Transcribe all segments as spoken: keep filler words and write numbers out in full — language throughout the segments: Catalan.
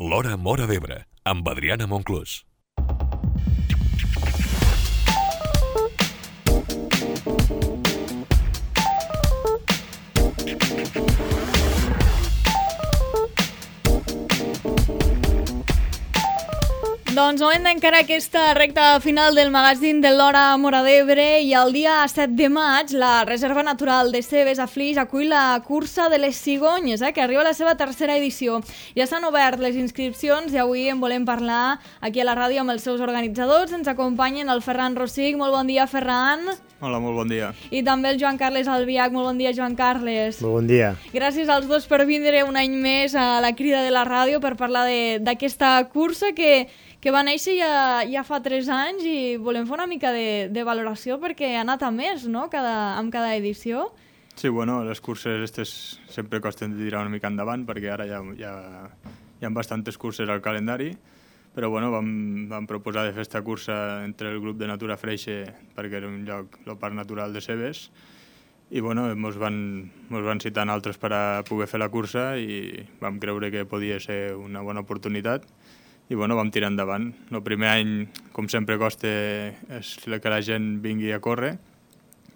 L'Hora Móra d'Ebre, amb Adriana Monclús. Doncs moment d'encarar aquesta recta final del magazín de l'Hora Móra d'Ebre i el dia set de maig la Reserva Natural de Cebes a Flix acull la cursa de les cigonyes, eh, que arriba a la seva tercera edició. Ja s'han obert les inscripcions i avui en volem parlar aquí a la ràdio amb els seus organitzadors. Ens acompanyen el Ferran Rossig. Molt bon dia, Ferran. Hola, molt bon dia. I també el Joan Carles Albiach. Molt bon dia, Joan Carles. Molt bon dia. Gràcies als dos per vindre un any més a la crida de la ràdio per parlar d'aquesta cursa que, que va néixer ja, ja fa tres anys i volem fer una mica de, de valoració perquè ha anat a més, no?, cada, amb cada edició. Sí, bueno, les curses aquestes sempre costen de tirar una mica endavant perquè ara ja, ja, hi ha bastantes curses al calendari, però bueno, vam, vam proposar de fer aquesta cursa entre el grup de Natura Freixe perquè era un lloc, el Parc Natural de Cebes, i bueno, ens van, mos van citar altres per a poder fer la cursa i vam creure que podia ser una bona oportunitat i bueno, vam tirar endavant. El primer any, com sempre, costa és que la gent vingui a córrer,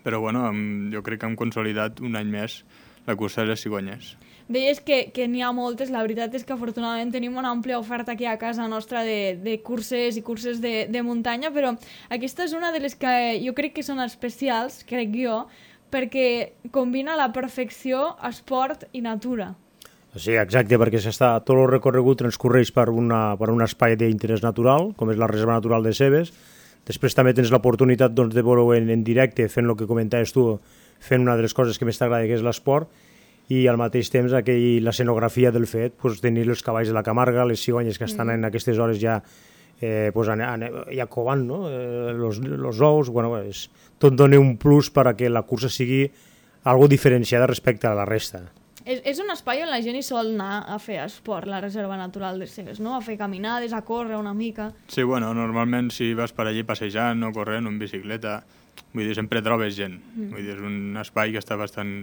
però bueno, hem, jo crec que hem consolidat un any més la cursa de les cigonyes. Deies que, que n'hi ha moltes, la veritat és que afortunadament tenim una àmplia oferta aquí a casa nostra de, de curses i curses de, de muntanya, però aquesta és una de les que jo crec que són especials, crec jo, perquè combina a la perfecció esport i natura. Sí, exacte, perquè s'està, tot el recorregut transcorreix per, una, per un espai d'interès natural, com és la Reserva Natural de Cebes. Després també tens l'oportunitat doncs, de veure en, en directe, fent el que comentaves tu, fent una de les coses que més t'agrada, que és l'esport, i al mateix temps aquell, l'escenografia del fet, doncs, tenir els cavalls de la Camarga, les cigonyes que estan mm. en aquestes hores ja, eh, doncs, ja covant, no? eh, los, los ous, bueno, és, tot dona un plus per a que la cursa sigui algo diferenciada respecte a la resta. És, és un espai on la gent hi sol anar a fer esport, la Reserva Natural de Cebes, no? A fer caminades, a córrer una mica. Sí, bueno, normalment si vas per allí passejant o corrent o en bicicleta, vull dir, sempre trobes gent. Mm. Vull dir, és un espai que està bastant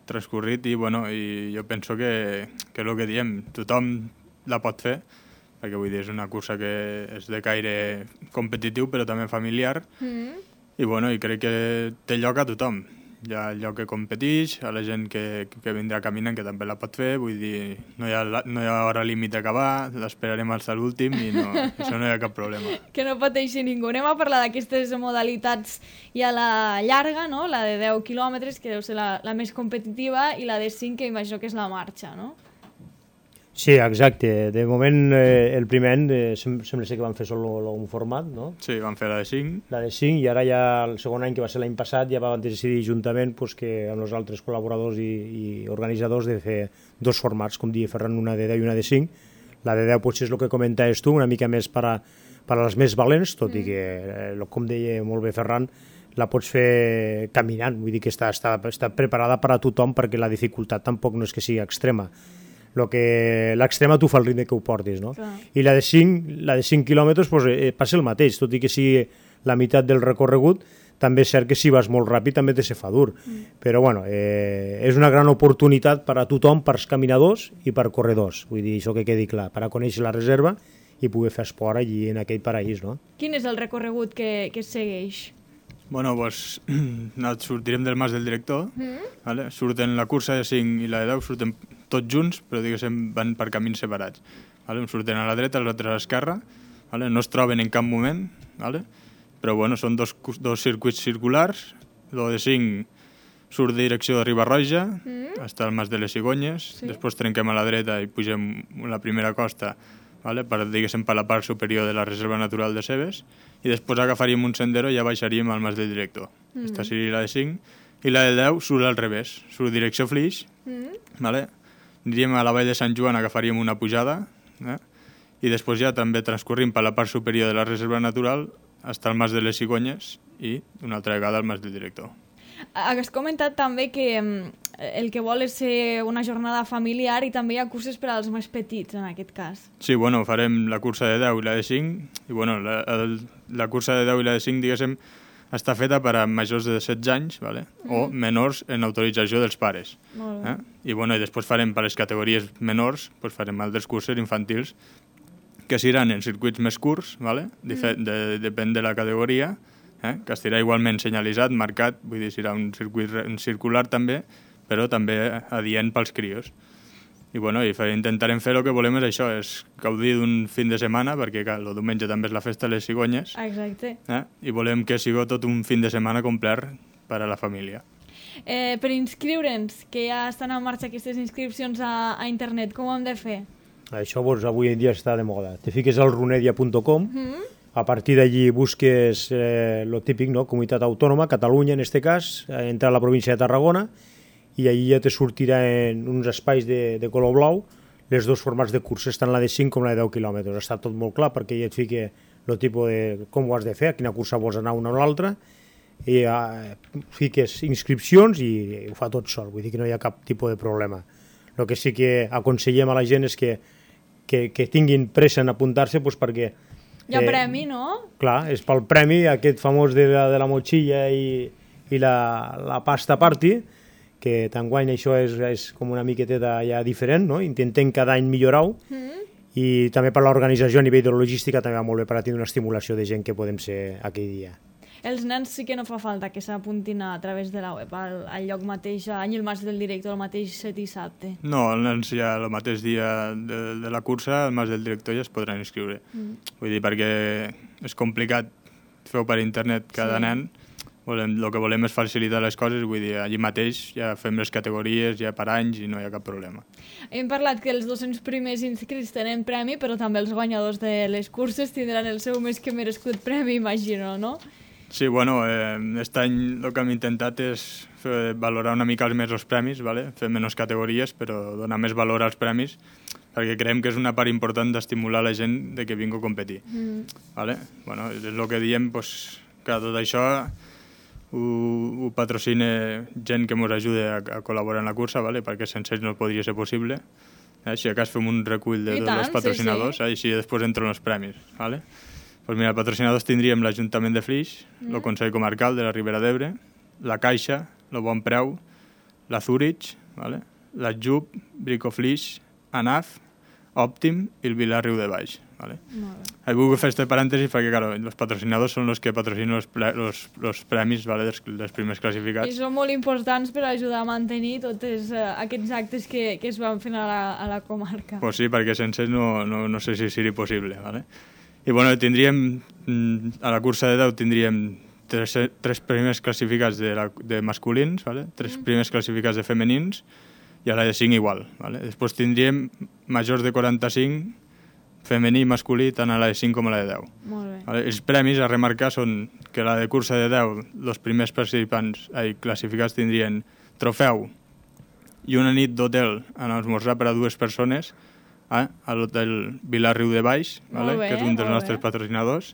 transcorrit i, bueno, i jo penso que, que el que diem, tothom la pot fer, perquè vull dir, és una cursa que és de caire competitiu però també familiar, mm. i, bueno, i crec que té lloc a tothom. Hi ha lloc que competeix, a la gent que, que vindrà caminant que també la pot fer, vull dir, no hi ha, no hi ha hora límit d'acabar, l'esperarem fins a l'últim i no, això no hi ha cap problema. Que no pateixi ningú. Anem a parlar d'aquestes modalitats i a la llarga, no? La de deu quilòmetres, que deu ser la, la més competitiva, i la de cinc, que imagino que és la marxa, no? Sí, exacte. De moment, eh, el primer any eh, sem sembla ser que van fer sol un format, no? Sí, van fer la de cinc. La de cinc, i ara ja el segon any, que va ser l'any passat, ja van decidir juntament pues, que amb els altres col·laboradors i, i organitzadors de fer dos formats, com deia Ferran, una de deu i una de cinc. La de deu potser és el que comentaves tu, una mica més per a, per a les més valents, tot mm. i que, eh, com deia molt bé Ferran, la pots fer caminant, vull dir que està, està, està preparada per a tothom perquè la dificultat tampoc no és que sigui extrema. Lo que l'extrema tu fa el ritme que ho portis, no? Clar. I la de cinc, la de cinc quilòmetres pues, eh, passa el mateix, tot i que sigui la meitat del recorregut, també és cert que si vas molt ràpid també te se fa dur. Mm. Però bueno, eh, és una gran oportunitat per a tothom, per als caminadors i per corredors. Vull dir, això que quedi clar, per a conèixer la reserva i poder fer esport allí en aquell paraís, no? Quin és el recorregut que, que segueix? Bueno, doncs pues, sortirem del Mas del Director, mm. vale? Surten la cursa de cinc i la de deu, surten tots junts, però diguéssim van per camins separats. Vale? Surten a la dreta, els altres a l'esquerra, vale? No es troben en cap moment, vale? Però bueno, són dos, dos circuits circulars, el de cinc surt de direcció de Riba-roja, mm. està al Mas de les Cigonyes, sí. Després trenquem a la dreta i pugem la primera costa, vale? Per, diguéssim, per la part superior de la Reserva Natural de Cebes, i després agafaríem un sendero i ja baixaríem al Mas del Director. Mm. Aquesta seria la de cinc, i la de deu surt al revés, surt direcció Flix, mm. vale? Aniríem a la Vall de Sant Joan, agafaríem una pujada, eh? I després ja també transcorrim per la part superior de la Reserva Natural fins al Mas de les Cigonyes i una altra vegada al Mas del Director. Has comentat també que el que vol és ser una jornada familiar i també hi ha curses per als més petits, en aquest cas. Sí, bueno, farem la cursa de deu i la de cinc, i bueno, la, el, la cursa de deu i la de cinc, diguéssim, està feta per a majors de setze anys, vale? Mm. o menors en autorització dels pares. Eh? I, bueno, i després farem per les categories menors, doncs farem altres cursos infantils que seran en circuits més curts, vale? mm. de, depèn de la categoria, eh? que estarà igualment senyalitzat, marcat, vull dir, serà un circuit circular també, però també adient pels crios. I, bueno, i intentarem fer el que volem és això, és gaudir d'un fin de setmana, perquè clar, el diumenge també és la festa de les cigonyes. Exacte. Eh? I volem que sigui tot un fin de setmana complet per a la família. Eh, per inscriure'ns, que ja estan en marxa aquestes inscripcions a, a internet, com ho hem de fer? Això doncs, avui en dia està de moda. Te fiques al runedia punt com, Mm. a partir d'allí busques eh, lo típic, no? Comunitat autònoma, Catalunya en este cas, eh, entra a la província de Tarragona, i allí ja te sortirà en uns espais de, de color blau les dos formats de curses, tant la de cinc com la de deu quilòmetres. Està tot molt clar perquè ja et fica el tipus de com ho has de fer, a quina cursa vols anar una o l'altra, i eh, fiques inscripcions i, i ho fa tot sol, vull dir que no hi ha cap tipus de problema. El que sí que aconsellem a la gent és que, que, que tinguin pressa en apuntar-se doncs perquè... Hi ha eh, premi, no? Clar, és pel premi aquest famós de la, de la motxilla i, i la, la pasta party, que t'enguany això és, és com una miqueteta ja diferent, no? Intentem cada any millorar-ho, mm. i també per l'organització a nivell de logística també va molt bé per a tenir una estimulació de gent que podem ser aquell dia. Els nens sí que no fa falta que s'apuntin a través de la web, al, al lloc mateix, a el Mas del Director, el mateix dissabte. No, els nens ja el mateix dia de, de la cursa, al Mas del Director ja es podran inscriure. Mm. Vull dir, perquè és complicat fer-ho per internet cada sí. nen. Volem, el que volem és facilitar les coses, vull dir, allí mateix ja fem les categories, ja per anys i no hi ha cap problema. Hem parlat que els dos-cents primers inscrits tenen premi, però també els guanyadors de les curses tindran el seu més que merescut premi, imagino, no? Sí, bueno, eh, aquest any el que hem intentat és fer, valorar una mica més els premis, ¿vale? Fer menys categories, però donar més valor als premis, perquè creiem que és una part important d'estimular la gent de que vingui a competir. Mm. ¿Vale? Bueno, és el que diem, pues, que tot això ho, ho patrocina gent que ens ajuda a, a col·laborar en la cursa, ¿vale? Perquè sense ells no podria ser possible. Eh? Si acas fem un recull de tots els patrocinadors, sí, sí. Eh? I així després entren els premis. ¿Vale? Pues mira, patrocinadors tindríem l'Ajuntament de Flix, el mm. Consell Comarcal de la Ribera d'Ebre, la Caixa, el Bon Preu, la Zurich, ¿vale? la J U P, Bricoflix, ANAF, Òptim i el Vilar Riu de Baix. ¿Vale? He volgut fer este parèntesi perquè, claro, els patrocinadors són els que patrocinen els, pre los, los premis, ¿vale? dels, dels primers classificats. I són molt importants per ajudar a mantenir tots uh, aquests actes que, que es van fent a la, a la comarca. Pues sí, perquè sense no, no, no sé si seria possible. ¿Vale? I bueno, tindríem, a la cursa de deu tindríem tres, tres primers classificats de, la, de masculins, ¿vale? tres mm. primers classificats de femenins, i a la de cinc igual. ¿Vale? Després tindríem majors de quaranta-cinc, femení i masculí, tant a la de cinc com a la de deu. Molt bé. ¿Vale? Els premis a remarcar són que la de cursa de deu, els primers participants ai, classificats tindrien trofeu i una nit d'hotel en esmorzar per a dues persones, eh, a l'hotel Vilar Riu de Baix, ¿vale? bé, que és un dels nostres bé. patrocinadors,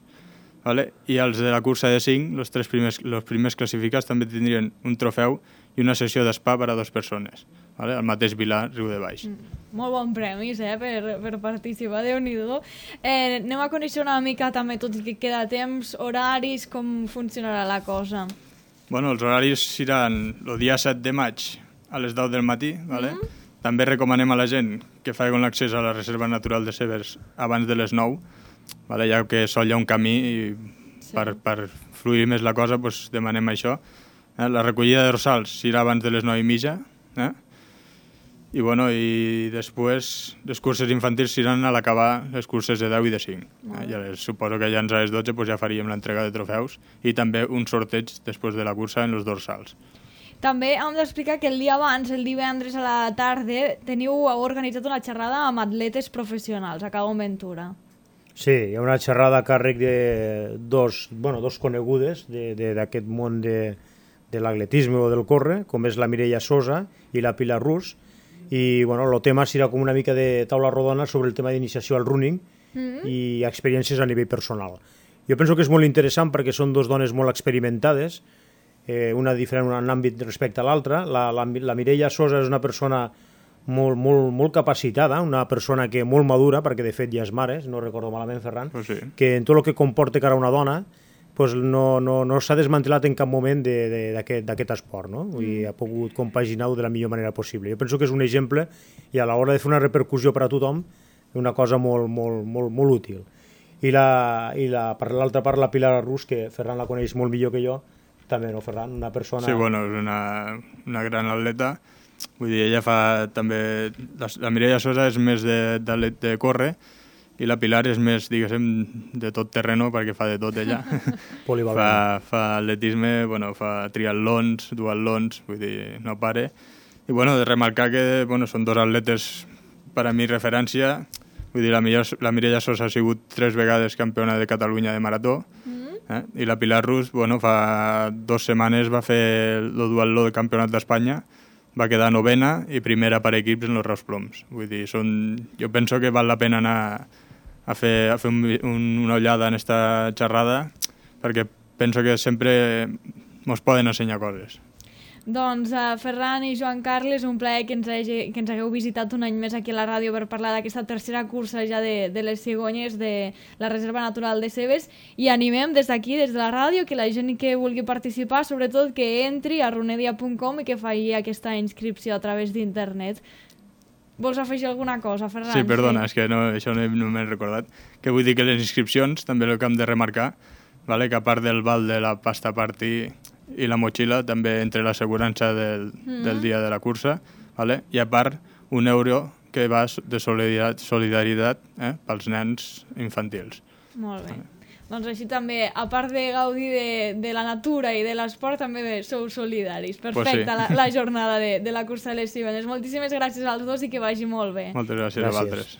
¿vale? I els de la cursa de cinc, els tres primers, els primers classificats també tindrien un trofeu i una sessió d'espa per a dues persones, ¿vale? Al mateix Vilar Riu de Baix. Mm, molt bon premis, eh, per, per participar, Déu-n'hi-do. Eh, anem a conèixer una mica també, tot i que queda temps, horaris, com funcionarà la cosa. Bueno, els horaris seran el dia set de maig a les deu del matí, ¿vale? Mm -hmm. També recomanem a la gent que facin l'accés a la Reserva Natural de Severs abans de les nou, ¿vale? Ja que sol hi ha un camí i sí. per, per fluir més la cosa pues, demanem això. Eh? La recollida de dorsals serà abans de les nou i mitja, eh? I, bueno, i després les curses infantils seran a l'acabar les curses de deu i de cinc. Eh? Ja les, suposo que ja a les dotze pues, ja faríem l'entrega de trofeus i també un sorteig després de la cursa en els dorsals. També hem d'explicar que el dia abans, el divendres a la tarda, teniu organitzat una xerrada amb atletes professionals a Cabo Ventura. Sí, hi ha una xerrada a càrrec de dos, bueno, dos conegudes d'aquest món de, de l'atletisme o del córrer, com és la Mireia Sosa i la Pilar Rus, i bueno, el tema serà com una mica de taula rodona sobre el tema d'iniciació al running mm-hmm. i experiències a nivell personal. Jo penso que és molt interessant perquè són dos dones molt experimentades, eh, una diferent en un àmbit respecte a l'altra. La, la, la Mireia Sosa és una persona molt, molt, molt capacitada, una persona que molt madura, perquè de fet ja és mare, no recordo malament, Ferran, oh, sí. que en tot el que comporta cara a una dona, pues no, no, no s'ha desmantelat en cap moment d'aquest esport, no? Vull dir, ha pogut compaginar-ho de la millor manera possible. Jo penso que és un exemple i a l'hora de fer una repercussió per a tothom, una cosa molt, molt, molt, molt útil. I, la, i la, per l'altra part, la Pilar Rus, que Ferran la coneix molt millor que jo, també, no, Ferran? Una persona... Sí, bueno, és una, una gran atleta. Vull dir, ella fa també... La, la Mireia Sosa és més de, de, de córrer, i la Pilar és més, diguéssim, de tot terreno, perquè fa de tot ella. fa, fa atletisme, bueno, fa triatlons, duatlons, vull dir, no pare. I bueno, de remarcar que bueno, són dos atletes per a mi referència. Vull dir, la, millor, la Mireia Sosa ha sigut tres vegades campiona de Catalunya de marató, eh? I la Pilar Rus, bueno, fa dues setmanes va fer el duatló del Campionat d'Espanya, va quedar novena i primera per equips en els Reus Ploms. Vull dir, són... jo penso que val la pena anar a fer, a fer un, un, una ullada en esta xerrada, perquè penso que sempre ens poden ensenyar coses. Doncs uh, Ferran i Joan Carles, un plaer que ens, hagi, que ens hagueu visitat un any més aquí a la ràdio per parlar d'aquesta tercera cursa ja de, de les cigonyes de la Reserva Natural de Cebes, i animem des d'aquí, des de la ràdio, que la gent que vulgui participar, sobretot que entri a runedia punt com i que faci aquesta inscripció a través d'internet. Vols afegir alguna cosa, Ferran? Sí, perdona, sí? És que no, això no, no m'he recordat. Que vull dir que les inscripcions, també el que hem de remarcar, vale? Que a part del val de la pasta party i la motxilla, també entre l'assegurança del, mm. del dia de la cursa, vale? I a part un euro que va de solidaritat, solidaritat eh? pels nens infantils. Molt bé. Vale. Doncs així també, a part de gaudir de, de la natura i de l'esport, també sou solidaris. Perfecte, pues sí. la, la jornada de, de la cursa de les cigonyes. Moltíssimes gràcies als dos i que vagi molt bé. Moltes gràcies, gràcies. a vosaltres.